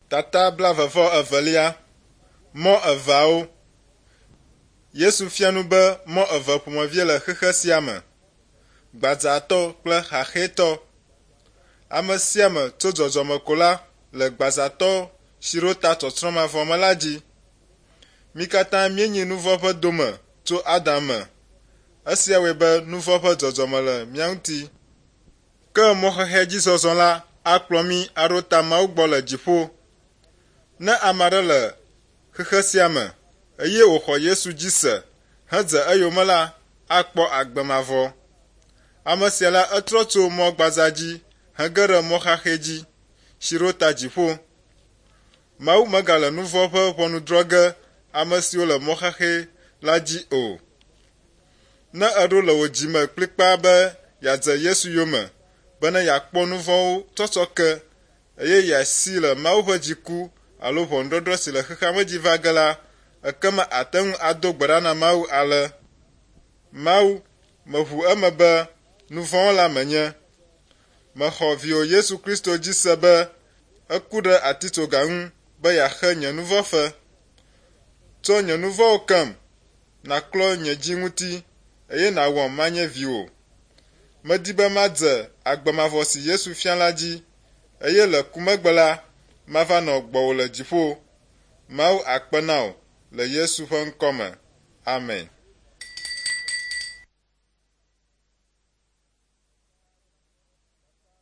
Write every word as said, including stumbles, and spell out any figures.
Tata blaeve vɔ evelia. Mɔ eveawo. Yesu fia nu be mɔ eve ƒomevie le xexe sia me: gbadzatɔ kple xaxɛtɔ. Ame sia ame tso dzɔdzɔme ko la le gbadzatɔ si ɖo ta tsɔtsrɔ̃ mavɔ me la dzi. Mí katã míenyi nu vɔ̃ ƒe dome tso Adam me. Esia wɔe be nu vɔ̃ ƒe dzɔdzɔme le mía ŋuti. Ke mɔ xexea dzi zɔzɔ la akplɔ mí aɖo ta Mawu gbɔ le dziƒo. Ne ame aɖe le xexe sia me eye wòxɔ Yesu dzi se hedze eyome la, akpɔ agbe mavɔ. Ame sia la etrɔ tso mɔ gbadza dzi hege ɖe mɔ xaxɛ dzi si ɖo ta dziƒo. Mawu megale nu vɔ̃ ƒe ʋɔnu drɔ̃ ge ame siwo le mɔ xaxɛ la dzi o. Ne èɖo le wò dzi me kplikpaa be yeadze Yesu yome bene yeakpɔ nu vɔ̃wo tsɔtsɔ ke eye yeasi le Mawu ƒe dziku alo ʋɔnudɔdrɔ̃ si le xexea me dzi va ge la, ekema àte ŋu ado gbe ɖa na Mawu ale: Mawu, meʋu eme be nu vɔ̃ wɔla menye. Mexɔ viwò Yesu Kristo dzi se be eku ɖe atitsoga ŋu be yeaxe nye nu vɔ̃ fe. Tsɔ nye nu vɔ̃wo kem, nàklɔ nye dzi ŋuti eye nàwɔm manye viwò. Medi be madze agbe mavɔ si Yesu fia la dzi eye le ku megbe la, mava nɔ gbɔwò le dziƒo. Mawu akpe na wò le Yesu ƒe ŋkɔ me. Amen.